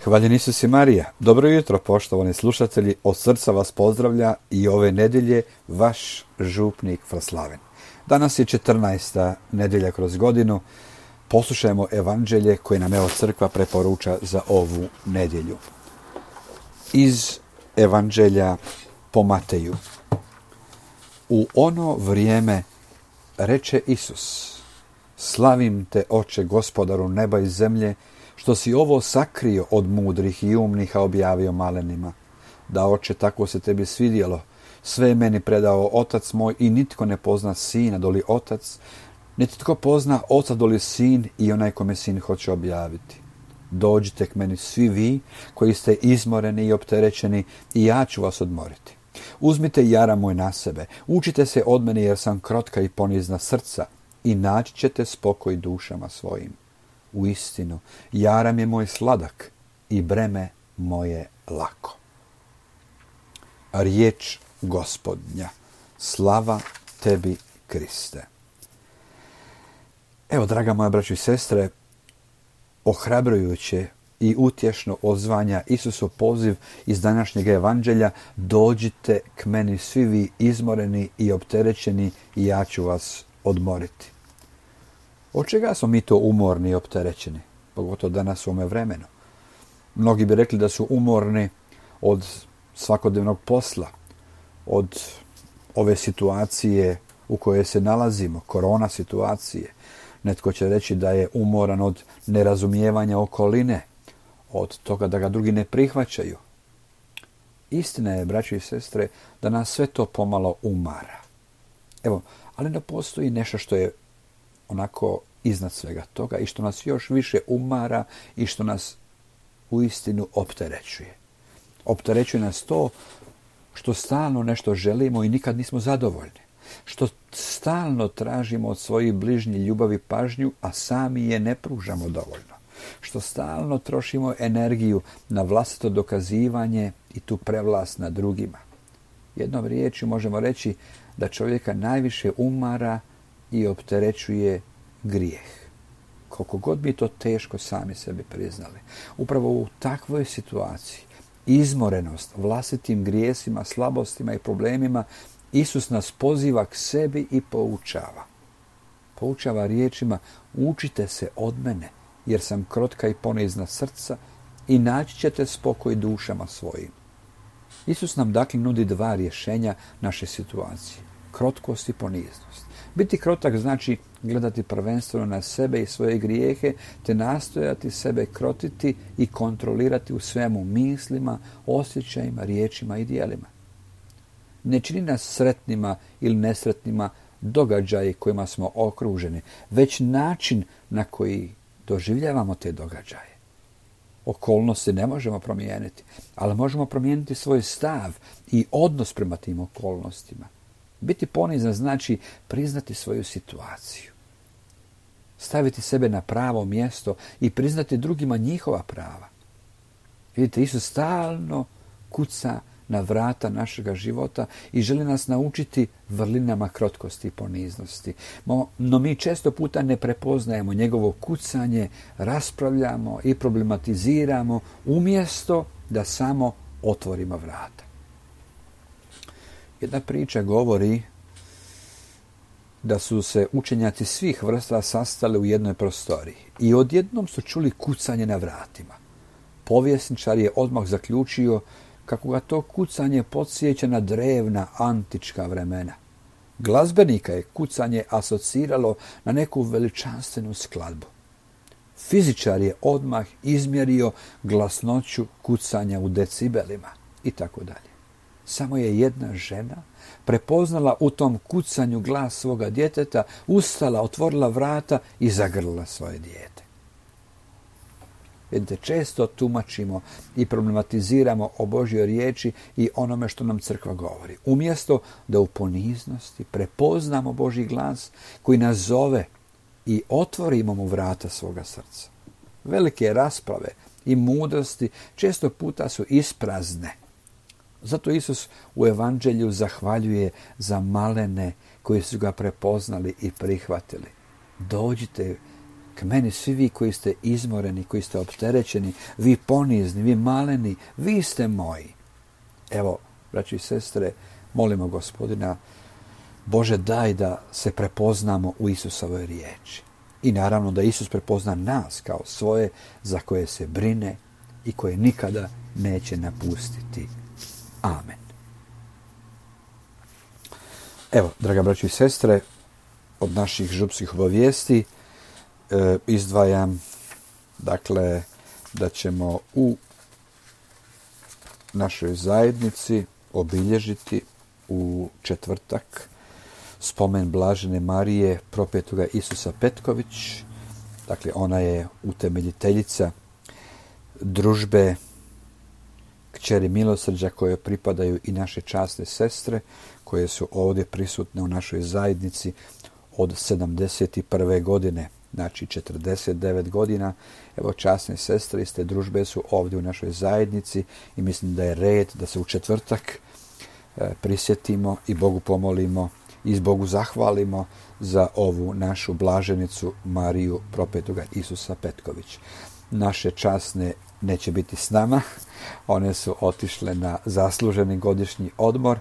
Hvaljen Isus i Marija. Dobro jutro, poštovani slušatelji. Od srca vas pozdravlja i ove nedjelje vaš župnik Fraslaven. Danas je 14. nedjelja kroz godinu. Poslušajmo evanđelje koje nam evo crkva preporuča za ovu nedjelju. Iz evanđelja po Mateju. U ono vrijeme reče Isus: Slavim te, Oče, Gospodaru neba i zemlje, što si ovo sakrio od mudrih i umnih, a objavio malenima. Da, Oče, tako se tebi svidjelo. Sve je meni predao Otac moj i nitko ne pozna Sina doli Otac, niti tko pozna Oca doli Sin i onaj kome Sin hoće objaviti. Dođite k meni svi vi koji ste izmoreni i opterećeni i ja ću vas odmoriti. Uzmite jara moj na sebe, učite se od mene jer sam krotka i ponizna srca i naći ćete spokoj dušama svojim. Uistinu, jaram je moj sladak i breme moje lako. Riječ Gospodnja. Slava tebi, Kriste. Evo, draga moja braćo i sestre, ohrabrujuće i utješno odzvanja Isusov poziv iz današnjeg evanđelja: dođite k meni svi vi izmoreni i opterećeni i ja ću vas odmoriti. Od čega smo mi to umorni i opterećeni? Pogotovo danas u ovome vremenu. Mnogi bi rekli da su umorni od svakodnevnog posla, od ove situacije u kojoj se nalazimo, korona situacije. Netko će reći da je umoran od nerazumijevanja okoline, od toga da ga drugi ne prihvaćaju. Istina je, braćo i sestre, da nas sve to pomalo umara. Evo, ali da postoji nešto što je onako iznad svega toga i što nas još više umara i što nas uistinu opterećuje. Opterećuje nas to što stalno nešto želimo i nikad nismo zadovoljni. Što stalno tražimo od svojih bližnjih ljubav i pažnju, a sami je ne pružamo dovoljno. Što stalno trošimo energiju na vlastito dokazivanje i tu prevlast nad drugima. Jednom riječju možemo reći da čovjeka najviše umara i opterećuje grijeh. Koliko god bi to teško sami sebi priznali. Upravo u takvoj situaciji, izmorenost vlastitim grijesima, slabostima i problemima, Isus nas poziva k sebi i poučava. Poučava riječima: učite se od mene, jer sam krotka i ponizna srca i naći ćete spokoj dušama svojim. Isus nam dakle nudi dva rješenja naše situacije: krotkost i poniznost. Biti krotak znači gledati prvenstveno na sebe i svoje grijehe, te nastojati sebe krotiti i kontrolirati u svemu, mislima, osjećajima, riječima i djelima. Ne čini nas sretnima ili nesretnima događaji kojima smo okruženi, već način na koji doživljavamo te događaje. Okolnosti ne možemo promijeniti, ali možemo promijeniti svoj stav i odnos prema tim okolnostima. Biti ponizan znači priznati svoju situaciju, staviti sebe na pravo mjesto i priznati drugima njihova prava. Vidite, Isus stalno kuca na vrata našega života i želi nas naučiti vrlinama krotkosti i poniznosti. No mi često puta ne prepoznajemo njegovo kucanje, raspravljamo i problematiziramo umjesto da samo otvorimo vrata. Jedna priča govori da su se učenjaci svih vrsta sastali u jednoj prostoriji i odjednom su čuli kucanje na vratima. Povjesničar je odmah zaključio kako ga to kucanje podsjeća na drevna antička vremena. Glazbenika je kucanje asociralo na neku veličanstvenu skladbu. Fizičar je odmah izmjerio glasnoću kucanja u decibelima i tako dalje. Samo je jedna žena prepoznala u tom kucanju glas svoga djeteta, ustala, otvorila vrata i zagrlila svoje dijete. Vidite, često tumačimo i problematiziramo o Božjoj riječi i onome što nam crkva govori. Umjesto da u poniznosti prepoznamo Božji glas koji nas zove i otvorimo mu vrata svoga srca. Velike rasprave i mudrosti često puta su isprazne. Zato Isus u evanđelju zahvaljuje za malene koji su ga prepoznali i prihvatili. Dođite K meni svi vi koji ste izmoreni, koji ste opterećeni, vi ponizni, vi maleni, vi ste moji. Evo, braći i sestre, molimo Gospodina, Bože, daj da se prepoznamo u Isusovoj riječi. I naravno da Isus prepozna nas kao svoje za koje se brine i koje nikada neće napustiti. Amen. Evo, draga braći i sestre, od naših župskih obavijesti izdvajam, dakle, da ćemo u našoj zajednici obilježiti u četvrtak spomen Blažene Marije propetoga Isusa Petković. Dakle, ona je utemeljiteljica družbe Kćeri milosrđa koje pripadaju i naše časne sestre koje su ovdje prisutne u našoj zajednici od 71. godine, znači 49 godina. Evo, časne sestre iz te družbe su ovdje u našoj zajednici i mislim da je red da se u četvrtak prisjetimo i Bogu pomolimo i Bogu zahvalimo za ovu našu blaženicu Mariju propetoga Isusa Petković. Naše časne neće biti s nama, one su otišle na zasluženi godišnji odmor,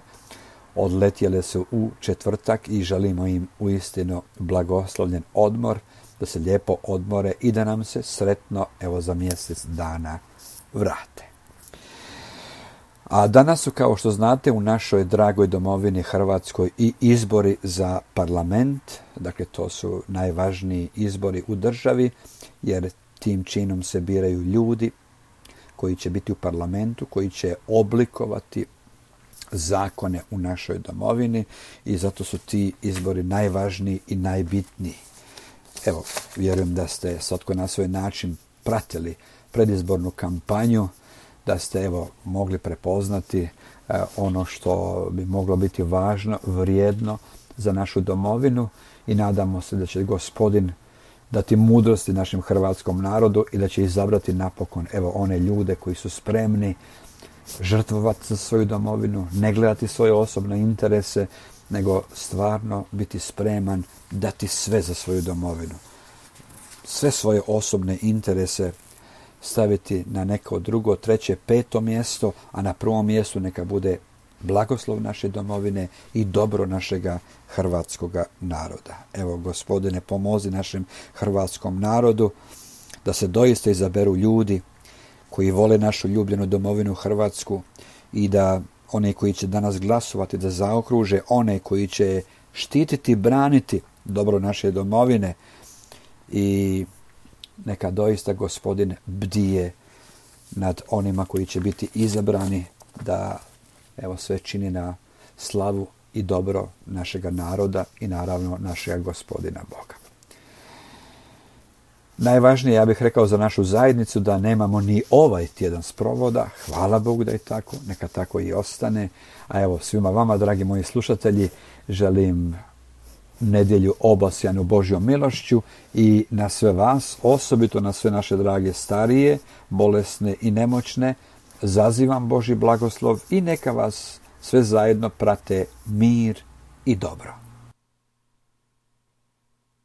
odletjele su u četvrtak i želimo im uistinu blagoslovljen odmor, da se lijepo odmore i da nam se sretno, evo, za mjesec dana vrate. A danas su, kao što znate, u našoj dragoj domovini Hrvatskoj i izbori za parlament. Dakle, to su najvažniji izbori u državi, jer tim činom se biraju ljudi koji će biti u parlamentu, koji će oblikovati zakone u našoj domovini i zato su ti izbori najvažniji i najbitniji. Evo, vjerujem da ste svatko na svoj način pratili predizbornu kampanju, da ste, evo, mogli prepoznati ono što bi moglo biti važno, vrijedno za našu domovinu i nadamo se da će Gospodin dati mudrosti našem hrvatskom narodu i da će izabrati napokon, evo, one ljude koji su spremni žrtvovati za svoju domovinu, ne gledati svoje osobne interese, nego stvarno biti spreman dati sve za svoju domovinu. Sve svoje osobne interese staviti na neko drugo, treće, peto mjesto, a na prvom mjestu neka bude blagoslov naše domovine i dobro našega hrvatskoga naroda. Evo, Gospodine, pomozi našem hrvatskom narodu da se doista izaberu ljudi koji vole našu ljubljenu domovinu Hrvatsku i da one koji će danas glasovati da zaokruže one koji će štititi, braniti dobro naše domovine i neka doista Gospodin bdije nad onima koji će biti izabrani da, evo, sve čini na slavu i dobro našega naroda i naravno našega Gospodina Boga. Najvažnije, ja bih rekao, za našu zajednicu da nemamo ni ovaj tjedan sprovoda. Hvala Bogu da je tako, neka tako i ostane. A evo, svima vama, dragi moji slušatelji, želim nedjelju obasjanu Božjom milošću i na sve vas, osobito na sve naše drage starije, bolesne i nemoćne, zazivam Božji blagoslov i neka vas sve zajedno prate mir i dobro.